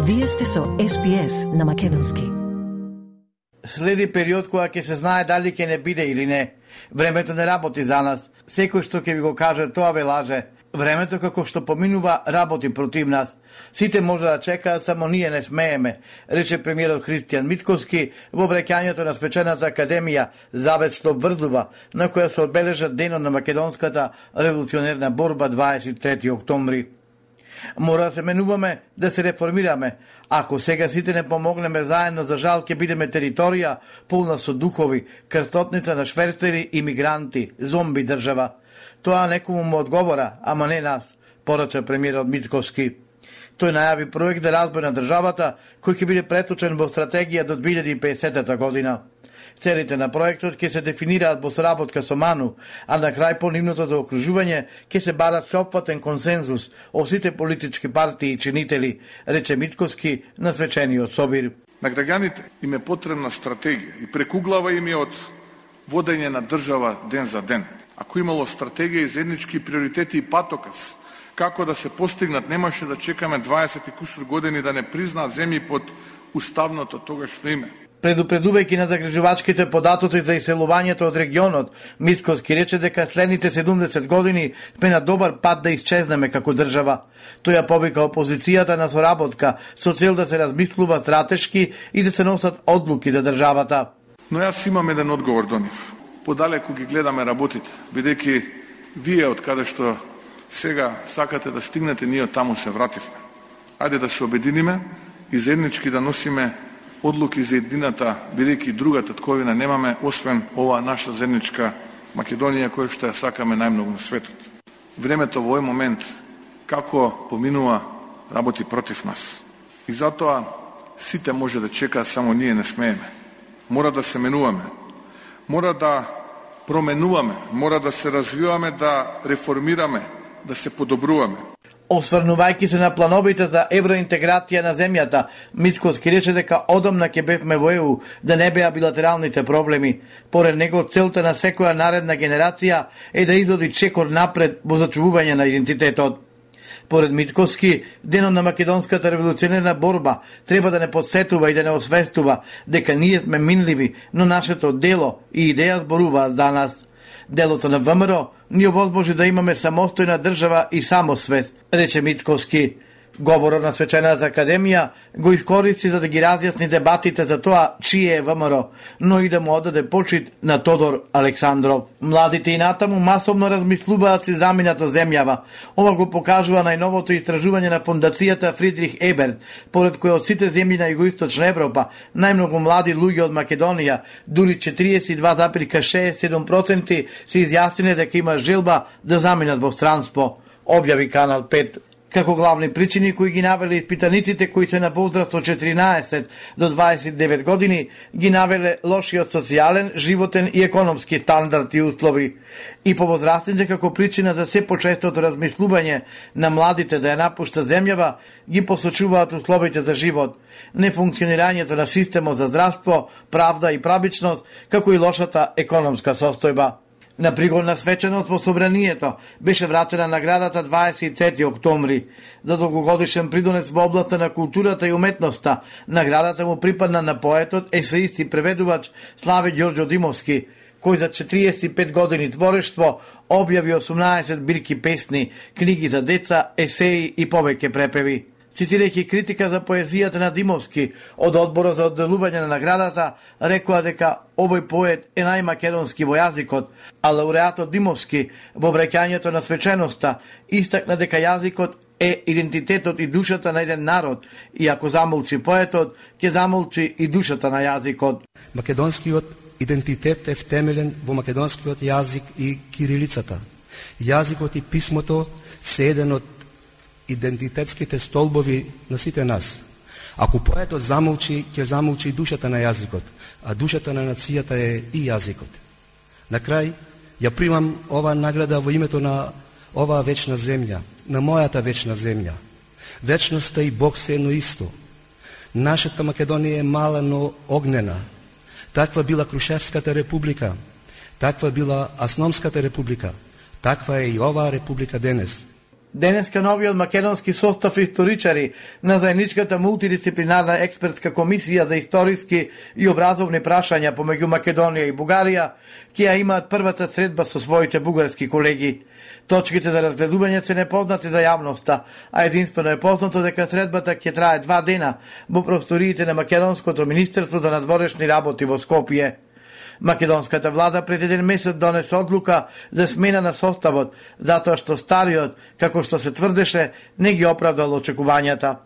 Вие сте со SPS на македонски. Следи период кога ќе се знае дали ќе не биде или не. Времето не работи за нас. Секој што ќе ви го каже, тоа ве лаже. Времето како што поминува работи против нас. Сите може да чекаат, само ние не смееме, рече премиерот Христијан Митковски во обраќањето на свечената академија Завет што врзува, на која се одбележа денот на македонската револуционерна борба 23 октомври. Мора да се менуваме, да се реформираме. Ако сега сите не помогнеме заедно, за жал ќе бидеме територија полна со духови, крстотница на шверцери и мигранти, зомби држава. Тоа некому му одговора, ама не нас, порача премиерот Митковски. Тој најави проект за разбој на државата, кој ќе биде преточен во стратегија до 2050 година. Целите на проектот ќе се дефинираат во соработка со МАНУ, а на крај по нивното заокружување ќе се барат сеопфатен консензус од сите политички партии и чинители, рече Митковски на свечениот собир. На граѓаните им е потребна стратегија и прекуглава им е од водење на држава ден за ден. Ако имало стратегија и заеднички приоритети и патоказ како да се постигнат, немаше да чекаме 20 и кусур години да не признаат земји под уставното тогашно име. Предупредувајќи на загрижувачките податоци за иселувањето од регионот, Митковски рече дека следните 70 години сме на добар пат да исчезнеме како држава. Тој ја повика опозицијата на соработка со цел да се размислува стратешки и да се носат одлуки за државата. Но јас имам еден одговор до нив. Подалеку ги гледаме работите, бидејќи вие од каде што сега сакате да стигнете, ние од таму се вративме. Ајде да се обединиме и заеднички да носиме одлуки за едината, бидејќи другата тковина немаме, освен ова наша заедничка Македонија, која што ја сакаме најмногу на светот. Времето во овој момент, како поминува, работи против нас. И затоа сите може да чекаат, само ние не смееме. Мора да се менуваме, мора да променуваме, мора да се развиваме, да реформираме, да се подобруваме. Осврнувајќи се на плановите за евроинтеграција на земјата, Митковски рече дека одамна ќе бевме во ЕУ, да не беа билатералните проблеми. Поред него, целта на секоја наредна генерација е да изоди чекор напред во зачувување на идентитетот. Поред Митковски, денот на македонската револуционерна борба треба да не подсетува и да не освестува дека ние сме минливи, но нашето дело и идеја зборуваат за нас. Делото на ВМРО ни овозможи да имаме самостојна држава и самосвест, рече Митковски. Говорот на свечената академија го искористи за да ги разјасни дебатите за тоа чие е ВМРО, но и да му одаде почит на Тодор Александров. Младите и натаму масовно размислуваат си заминато земјава. Ова го покажува најновото истражување на фондацијата Фридрих Еберт, поред кој од сите земји на југоисточна Европа, најмногу млади луѓе од Македонија, дури 42,67% се изјасниле дека има желба да заминат во странство, објави Канал 5. Како главни причини кои ги навеле испитаниците кои се на возраст од 14 до 29 години, ги навеле лошиот социјален, животен и економски стандард и услови. И по возрастните како причина за се почестото размислување на младите да ја напушта земјава, ги посочуваат условите за живот, нефункционирањето на системот за здравство, правда и правичност, како и лошата економска состојба. На пригодна свеченост во собранието беше вратена наградата 23 октомври. За долгогодишен придонес во областа на културата и уметноста, наградата му припадна на поетот, есеист и преведувач Славе Ѓорѓо Димовски, кој за 45 години творештво објави 18 збирки песни, книги за деца, есеи и повеќе препеви. Цитирајќи критика за поезијата на Димовски од одборот за одделување на наградата, рекоа дека овој поет е најмакедонски во јазикот, а лауреатот Димовски во враќањето на свеченоста истакна дека јазикот е идентитетот и душата на еден народ, и ако замолчи поетот, ќе замолчи и душата на јазикот. Македонскиот идентитет е втемелен во македонскиот јазик и кирилицата. Јазикот и писмото се еден од идентитетските столбови на сите нас. Ако поетот замолчи, ќе замолчи и душата на јазикот, а душата на нацијата е и јазикот. На крај, ја примам ова награда во името на оваа вечна земја, на мојата вечна земја. Вечноста и Бог се едно исто. Нашата Македонија е мала, но огнена. Таква била Крушевската република, таква била Асномската република, таква е и оваа република денес. Денеска новиот македонски состав историчари на заедничката мултидисциплинарна експертска комисија за историски и образовни прашања помеѓу Македонија и Бугарија ќе ја имаат првата средба со своите бугарски колеги. Точките за разгледување се непознати за јавноста, а единствено е познато дека средбата ќе трае 2 дена во просториите на Македонското министерство за надворешни работи во Скопје. Македонската влада пред 1 месец донесе одлука за смена на составот, затоа што стариот, како што се тврдеше, не ги оправдал очекувањата.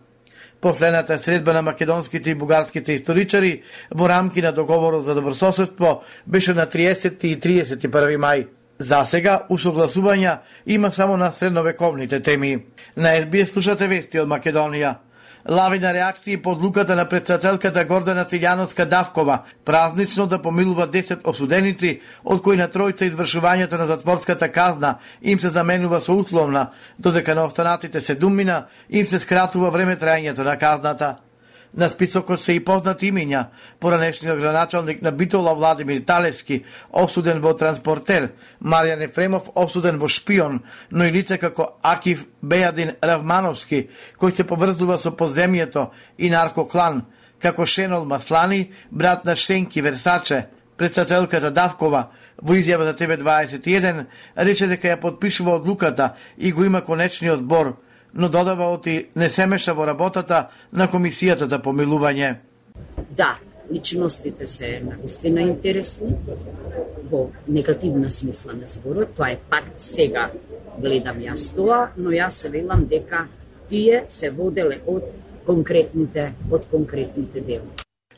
Последната средба на македонските и бугарските историчари во рамки на договорот за добрососедство беше на 30 и 31 мај. За сега, усогласувања има само на средновековните теми. На СБС слушате вести од Македонија. Лавина реакции по одлуката на председателката Гордана Силјановска-Давкова празнично да помилува 10 осуденици, од кои на тројца извршувањето на затворската казна им се заменува со условна, додека на останатите 7 им се скратува време трајањето на казната. На списокот се и познати имиња, поранешниот градоначалник на Битола Владимир Талевски, осуден во транспортер, Маријан Ефремов, осуден во шпион, но и лице како Акив Бејадин Равмановски, кој се поврзува со подземјето и наркоклан, како Шенол Маслани, брат на Шенки Версаче. Председателката Давкова во изјава за ТВ21 рече дека ја подпишува одлуката и го има конечниот збор, но додава оти не се меша во работата на комисијата за помилување. Да, личностите се навистина интересни, во негативна смисла на зборот, тоа е факт, сега гледам јас тоа, но јас се велам дека тие се воделе од конкретните дела.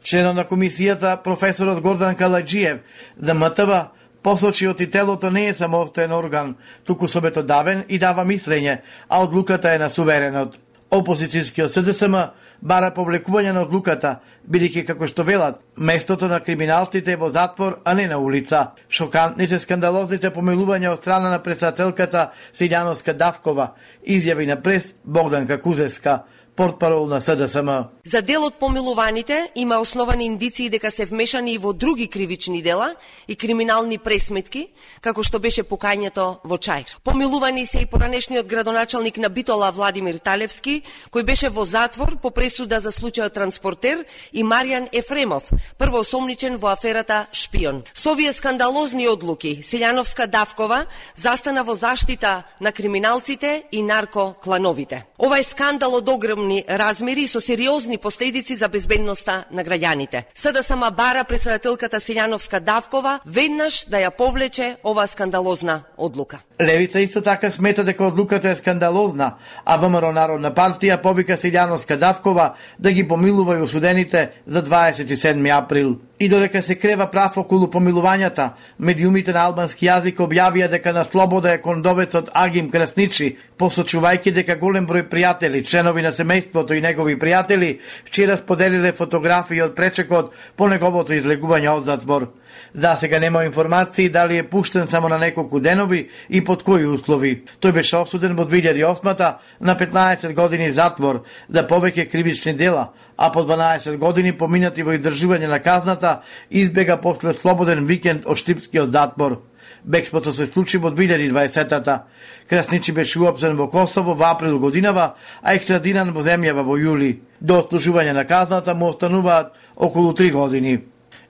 Членот на комисијата, професорот Гордан Каладжиев, за МТВ, посочи оти телото не е самостоен орган, туку собетодавен и дава мислење, а одлуката е на суверенот. Опозицијскиот СДСМ бара повлекување на одлуката, бидејќи како што велат, местото на криминалците е во затвор, а не на улица. Шокантните скандалозните помилувања од страна на председателката Силјановска-Давкова, изјави на прес Богданка Кузевска, портпарол на СДСМ. За дел од помилуваните има основани индиции дека се вмешани и во други кривични дела и криминални пресметки, како што беше покањето во Чаир. Помилувани се и поранешниот градоначалник на Битола Владимир Талевски, кој беше во затвор по пресуда за случајот транспортер, и Маријан Ефремов, првоосомничен во аферата Шпион. Со овие скандалозни одлуки, Силјановска-Давкова застана во заштита на криминалците и наркоклановите. Ова е скандал од огромни размери со сериозни последици за безбедноста на граѓаните. СДСМ бара председателката Силјановска-Давкова веднаш да ја повлече оваа скандалозна одлука. Левица исто така смета дека одлуката е скандалозна, а ВМРО Народна партија повика Силјановска-Давкова да ги помилува и осудените за 27 април. И додека се крева прав околу помилувањата, медиумите на албански јазик објавија дека на слобода е кондовецот Агим Красничи, посочувајќи дека голем број пријатели, членови на семејството и негови пријатели, вчера споделиле фотографии од пречекот по неговото излегување од затвор. За сега нема информации дали е пуштен само на неколку денови и под кои услови. Тој беше осуден во 2008 на 15 години затвор за повеќе кривични дела, а по 12 години поминати во издржување на казната, избега после слободен викенд од штипскиот затвор. Бегството се случи во 2020-та. Красничи беше уапсен во Косово во април годинава, а екстрадиран во земјава во јули. До отслужување на казната му остануваат околу 3 години.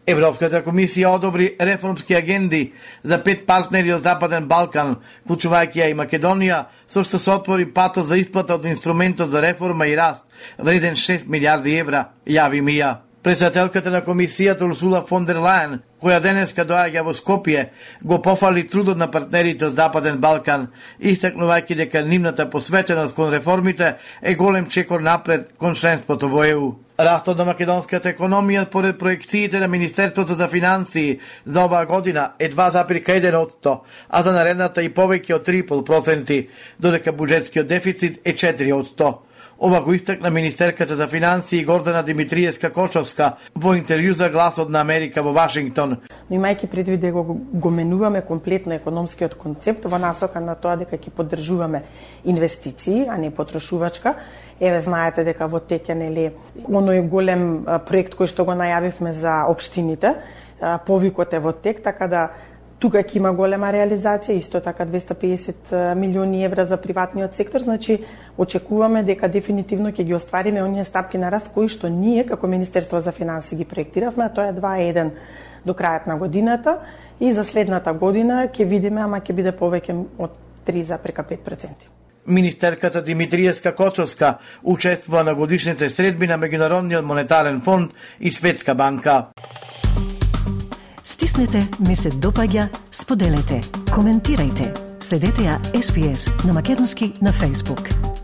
Европската комисија одобри реформски агенди за 5 партнери од Западен Балкан, вклучувајќи ја и Македонија, со што се отвори патот за исплата од инструментот за реформа и раст, вреден 6 милиарди евра, јави МИА. Председателката на комисијата Урсула фон дер Лајен, која денеска доаѓа во Скопје, го пофали трудот на партнерите од Западен Балкан, истакнувајќи дека нивната посветеност кон реформите е голем чекор напред кон членството во ЕУ. Растот на македонската економија според проекциите на Министерството за финансии за оваа година е 2,1%, а за наредната и повеќе од 3,5%, додека буџетскиот дефицит е 4%. Ова го истакна министерката за финансии Гордана Димитриевска-Кочовска во интервју за Гласот на Америка во Вашингтон. Но имајќи предвид дека го менуваме комплетно економскиот концепт во насока на тоа дека ќе поддржуваме инвестиции, а не потрошувачка. Еве знаете дека во тек е оној голем проект кој што го најавивме за општините, повикот е во тек, така да Тука ќе има голема реализација, исто така 250 милиони евра за приватниот сектор, значи очекуваме дека дефинитивно ќе ги оствариме оние стапки на раст кои што ние како Министерство за финансии ги проектиравме, а тоа е 2,1 до крајот на годината и за следната година ќе видиме, ама ќе биде повеќе од 3,5%. Министерката Димитриевска Кочовска учествува на годишните средби на Меѓународниот монетарен фонд и Светска банка. Стиснете, ми се допаѓа, споделете, коментирајте. Следете ја SPS на македонски на Facebook.